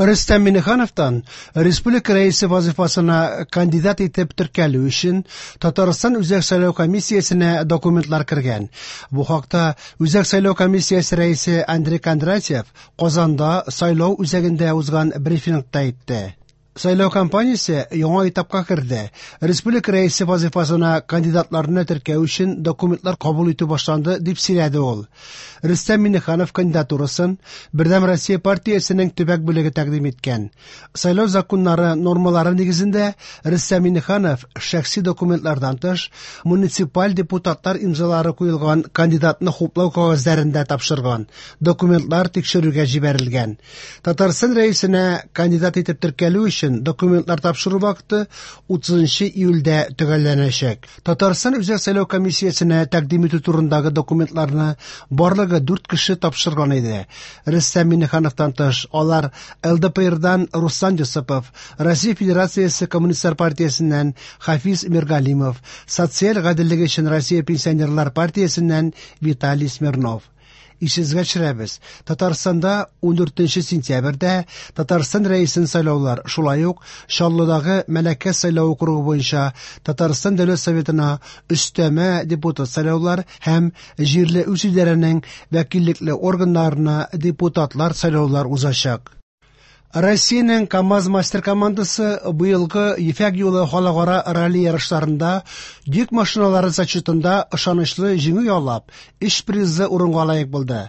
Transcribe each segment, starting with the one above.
Рөстәм Миңнехановтан республика Рәисе вазыйфасына кандидат итеп теркәлү өчен Татарстан Үзәк сайлау комиссиясенә документлар кергән. Бу хакта Үзәк сайлау комиссиясе рәисе Андрей Кондратьев Казанда сайлау үзәгендә узган брифингта әйтте. Сайлау кампаниясе яңа этапка керде. Республика Рәисе вазыйфасына кандидатларны теркәү өчен документлар кабул итү башланды, дип сөйләде ул. Рөстәм Миңнеханов кандидатурасын Бердәм Россия партиясенең төбәк бүлеге тәкъдим иткән. Сайлау законнары нормалары нигезендә Рөстәм Миңнеханов шәхси документлардан тыш муниципаль депутатлар имзалары куелган кандидатны хуплау кәгазьләрен дә тапшырган. Документлар тикшерүгә җибәрелгән. Татарстан Рәисенә кандидат итеп теркәлү өчен документлар тапшыру вакыты 30 июльдә төгәлләнәчәк. Татарстан Үзәк сайлау комиссиясенә тәкъдим итү турындагы документларны барлыгы 4 кеше тапшырган иде. Рөстәм Миңнехановтан тыш, алар ЛДПРдан Руслан Йосыпов, Россия Федерациясе Коммунистлар партиясеннән Хафиз Миргалимов, Социаль гаделлек өчен Россия пенсионерлар партиясеннән Виталий Смирнов. Исегезгә төшерәбез, Татарстанда 14 сентябрьдә Татарстан Рәисен сайлаулар, шулай ук Чаллыдагы Мәләкәс сайлау округы буенча Татарстан Дәүләт Советына өстәмә депутат сайлаулар һәм җирле үзидарәнең вәкиллекле органнарына депутатлар сайлаулар узачак. Россиянең КАМАЗ-мастер командасы быелгы Ефәк юлы халыкара ралли ярышларында йөк машиналары зачетында ышанычлы җиңү яулап, өч призлы урынга лаек булды.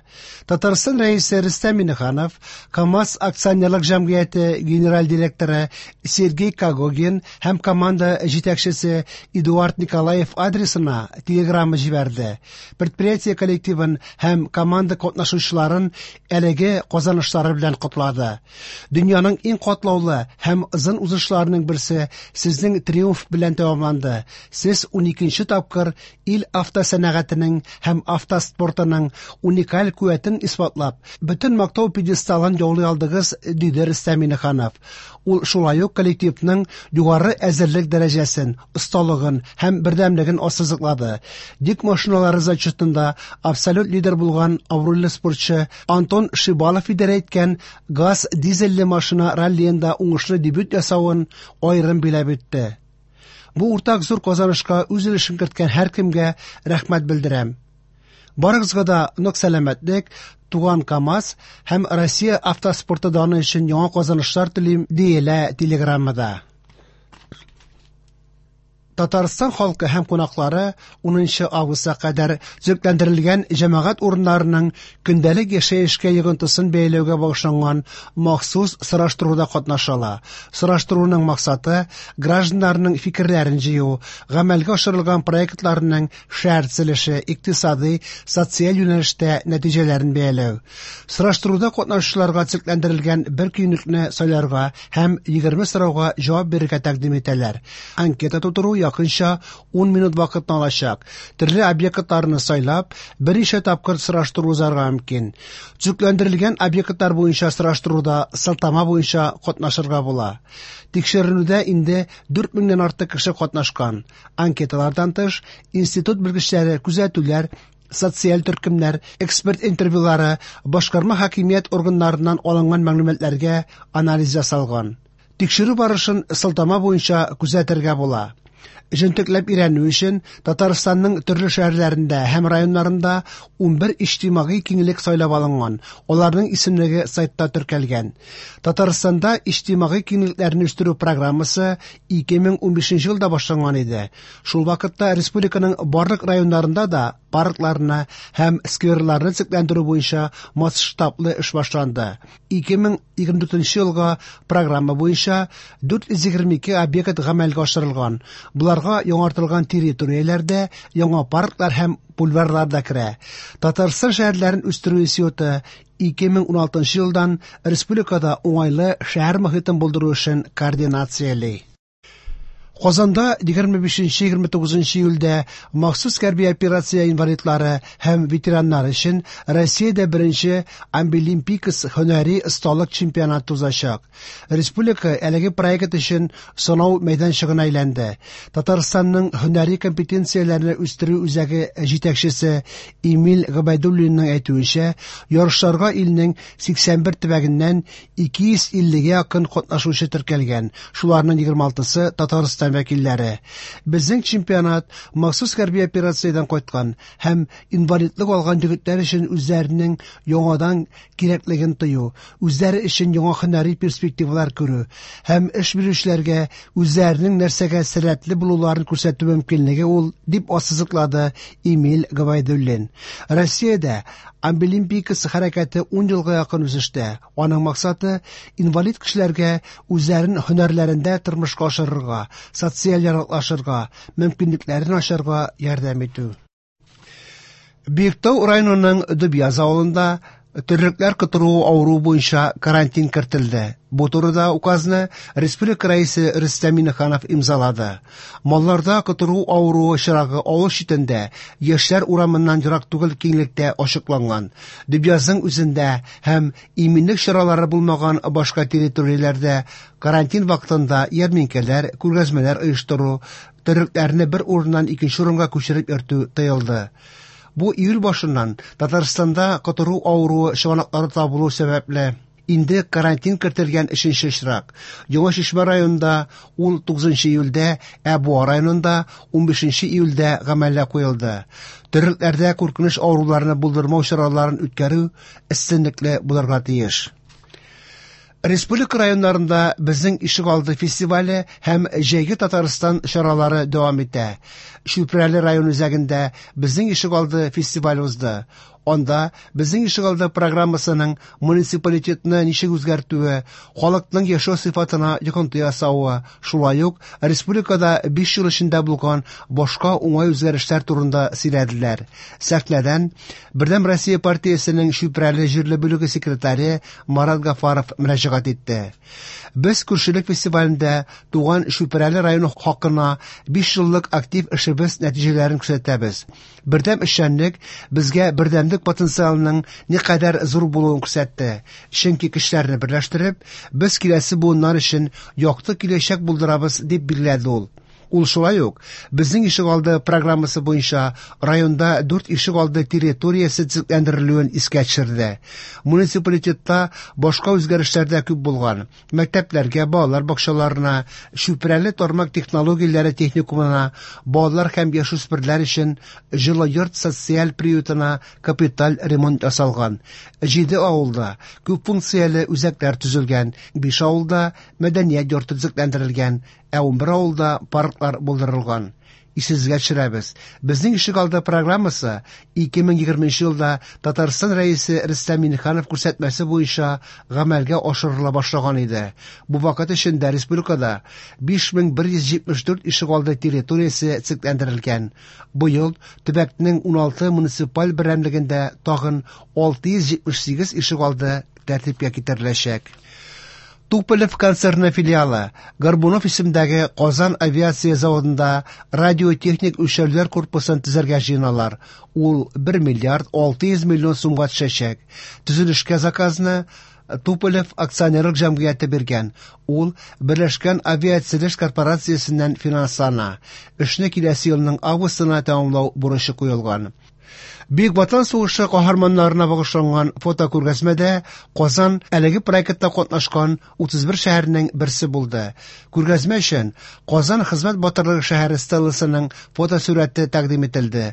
Татарстан Рәисе Рөстәм Миңнеханов, КАМАЗ акционерлык җәмгыяте генераль директоры Сергей Когогин һәм команда җитәкчесе Эдуард Николаев адресына телеграмма җибәрде. Предприятие коллективын һәм команда катнашучыларын әлеге казанышлары белән котлады. Дөньяның иң катлаулы һәм озын узышларының берсе сезнең триумф белән тәмамланды. Сез 12 тапкыр ил автосәнәгатенең һәм автоспортының уникаль куәтен исбатлап, бөтен мактау пьедесталын яулый алдыгыз, диде Рөстәм Миңнеханов. Ул шулай ук коллективның югары әзерлек дәрәҗәсен, осталыгын һәм бердәмлеген ассызыклады. Йөк машиналары зачетында абсолют лидер булган абруйлы спортчы Антон Шибалов идарә иткән газ дизельле машина раллиенда уңышлы дебют ясавын аерым биләп үтте. Бу уртак зур казанышка үз өлешен керткән һәркемгә рәхмәт белдерәм. Барыгызга да нык сәламәтлек, туган КАМАЗ һәм Россия автоспорты даны өчен яңа казанышлар телим, диелә телеграммада. Татарстан халкы һәм кунаклары 10 августка кадәр төзекләндерелгән җәмәгать урыннарының көндәлек яшәешкә йогынтысын бәяләүгә багышланган махсус сораштыруда катнаша ала. Сораштыруның максаты гражданнарның фикерләрен җыю, гамәлгә ашырылган проектларның шәһәр төзелеше, икътисадый, социаль юнәлештә нәтиҗәләрен бәяләү. Сораштыруда катнашучыларга төзекләндерелгән бер көнлекне сайларга һәм 20 сорауга җавап бирергә тәкъдим итәләр. Анкета тутыру якынча 10 минут вакытны алачак. Төрле объектларны сайлап, берничә тапкыр сораштыру узарга мөмкин. Төзекләндерелгән объектлар буенча сораштыруда сылтама буенча катнашырга була. Тикшеренүдә инде 4000 нән артык кеше катнашкан. Анкеталардан тыш, институт белгечләре күзәтүләр, социаль төркемнәр, эксперт интервьюлары, башкарма хакимият органнарыннан алынган мәгълүматларга анализ ясалган. Тикшерү барышын сылтама буенча күзәтергә була. Җентекләп өйрәнү өчен Татарстанның төрле шәһәрләрендә һәм районнарында 11 иҗтимагый киңлек сайлап алынган. Аларның исемлеге сайтта теркәлгән. Татарстанда иҗтимагый киңлекләрне үстерү программасы 2015 елда башланган иде. Шул вакытта республиканың барлык районнарында да паркларны һәм скверларны төзекләндерү буенча масштаблы эш башланды. 2024 елга программа буенча 422 объект гамәлгә ашырылган. Боларга яңартылган территорияләрдә яңа парклар һәм бульварлар да керә. Татарстан шәһәрләрен үстерү институты 2016 елдан республикада уңайлы шәһәр мохитен булдыру эшен координацияли. Казанда 25-29 июльдә махсус хәрби операция инвалидлары һәм ветераннар өчен Россиядә беренче Абилимпикс һөнәри осталык чемпионаты узачак. Республика әлеге проект өчен сынау мәйданчыгына әйләнде. Татарстанның һөнәри компетенцияләрне үстерү үзәге җитәкчесе Эмиль Гобәйдуллинның әйтүенчә, ярышларга илнең 81 төбәгеннән 250-гә якын катнашучы теркәлгән, шуларның 26-сы Татарстан вәкилләре. Безнең чемпионат махсус хәрби операциядән кайткан һәм инвалидлык алган егетләр өчен үзләренең яңадан кирәклеген тою, үзләре өчен яңа һөнәри перспективалар күрү һәм эш бирүчеләргә үзләренең нәрсәгә сәләтле булуларын күрсәтү мөмкинлеге ул, дип ассызыклады Эмиль Гобәйдуллин. Россиядә Абилимпикс хәрәкәте 10 елга якын үсештә. Аның максаты инвалид кешеләргә үзләрен һөнәрләрендә тормышка ашырырга, социаль яраклашырга, мөмкинлекләрен ачарга ярдәм итү. Биектау районының Дөбъяз авылында терлекләр котыруы авыруы буенча карантин кертелде. Бу турыда указны республика рәисе Рөстәм Миңнеханов имзалады. Малларда котыру авыруы очрагы авыл читендә, Яшьләр урамыннан ерак түгел киңлектә ачыкланган. Дөбъязның үзендә һәм иминлек чаралары булмаган башка территорияләрдә карантин вакытында ярминкәләр, күргәзмәләр оештыру, терлекләрне бер урыннан икенче урынга күчереп йөртү тыелды. Бу июль башыннан Татарстанда котыру авыруы чыганаклары табылу сәбәпле инде карантин кертелгән өченче очрак. Яңа Чишмә районында ул 9 июльдә, ә Буа районында 15 июльдә гамәлгә куелды. Терлекләрдә куркыныч авыруларны булдырмау чараларын үткәрү өстенлекле булырга тиеш. Республика районнарында Безнең ишегалды фестивале һәм Җәйге Татарстан чаралары дәвам итә. Чүпрәле район үзәгендә Безнең ишегалды фестивале узды. Анда Безнең ишегалды программасының муниципалитетны ничек үзгәртүе, халыкның яшәү сыйфатына йогынты ясавы, шулай ук республикада 5 ел эчендә булган башка уңай үзгәрешләр турында сөйләделәр. Сәхнәдән Бердәм Россия партиясенең Чүпрәле җирле бүлеге секретаре Марат Гафаров мөрәҗәгать итте. Без күршелек фестивалендә туган Чүпрәле районы хакына 5 еллык актив эшебез нәтиҗәләрен күрсәтәбез. Бердәм эшчәнлек безгә бердәмлек потенциалының никадәр зур булуын күрсәтте. Чөнки көчләрне берләштереп, без киләсе буыннар өчен якты киләчәк булдырабыз, дип билгеләде ул. Ул шулай ук Безнең ишегалды программасы буенча районда 4 ишегалды территориясе төзекләндерелүен искә төшерде. Муниципалитетта башка үзгәрешләр дә күп булган. Мәктәпләргә, балалар бакчаларына, Чүпрәле тармак технологияләре техникумына, балалар һәм яшүсмерләр өчен җылы йорт социаль приютына капиталь ремонт ясалган. 7 авылда күп функцияле үзәкләр төзелгән, 5 авылда мәдәният йорты төзекләндерелгән, ә 11 авылда парклар булдырылган. Исегезгә төшерәбез. Безнең ишегалды программасы 2020 елда Татарстан Рәисе Рөстәм Миңнеханов күрсәтмәсе буенча гамәлгә ашырыла башлаган иде. Бу вакыт эчендә республикада 5174 ишегалды территориясе төзекләндерелгән. Быел төбәкнең 16 муниципаль берәмлегендә тагын 678 ишегалды тәртипкә китереләчәк. Туполев концерны филиалы Горбунов исемдәге Казан авиация заводында радиотехник үлчәүләр корпусын төзергә җыеналар. Ул 1 миллиард 600 миллион сумга төшәчәк. Төзелешкә заказны Туполев акционерлык җәмгыяте биргән. Ул Берләшкән авиатөзелеш корпорациясеннән финанслана. Эшне киләсе елның августына тәмамлау бурычы куелган. Бөек Ватан сугышы каһарманнарына багышланган фотокүргәзмәдә Казан әлеге проектта катнашкан 31 шәһәрнең берсе булды. Күргәзмә өчен Казан хезмәт батырлыгы шәһәре стелласының фотосурәте тәкъдим ителде.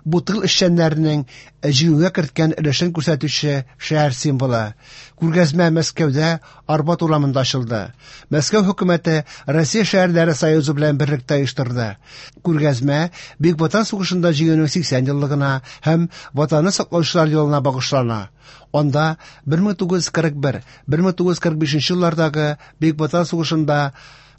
Бу тыл эшчәннәренең җиңүгә керткән өлешен күрсәтүче шәһәр символы. Күргәзмә Мәскәүдә Арбат урамында ачылды. Мәскәү хөкүмәте Россия шәһәрләре союзы белән берлектә оештырды. Күргәзмә Бөек Ватан сугышында җиңүнең 80 еллыгына һәм Ватанны саклаучылар елына багышлана. Анда 1941-1945 еллардагы Бөек Ватан сугышында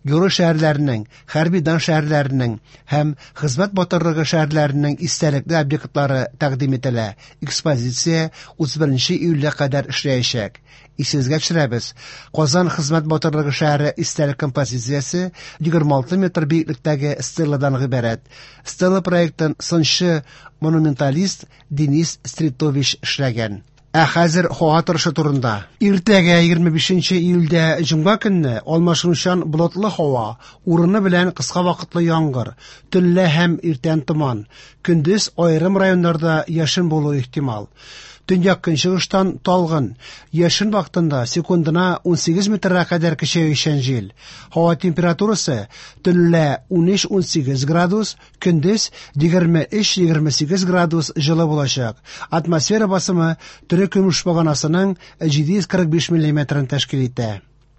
герой шәһәрләренең, хәрби дан шәһәрләренең һәм хезмәт батырлыгы шәһәрләренең истәлекле объектлары тәкъдим ителә. Экспозиция 31 июльгә кадәр эшләячәк. Исегезгә төшерәбез, Казан хезмәт батырлыгы шәһәре истәлек композициясе 26 метр биеклектәге стеладан гыйбарәт. Стела проектын сынчы-монументалист Денис Стритович эшләгән. Ә хәзер һава торышы турында. Иртәгә 25 июльдә җомга көнне алмашынучан болытлы һава, урыны белән кыска вакытлы яңгыр, төнлә һәм иртән томан. Көндез аерым районнарда яшен булуы ихтимал. Төньяк-көнчыгыштан талгын, яшен вакытында секундына 18 метрга кадәр көчәючән җил. Һава температурасы төнлә 13-18 градус, көндез 23-28 градус җылы булачак. Атмосфера басымы терекөмеш баганасының 745 миллиметрын тәшкил итә.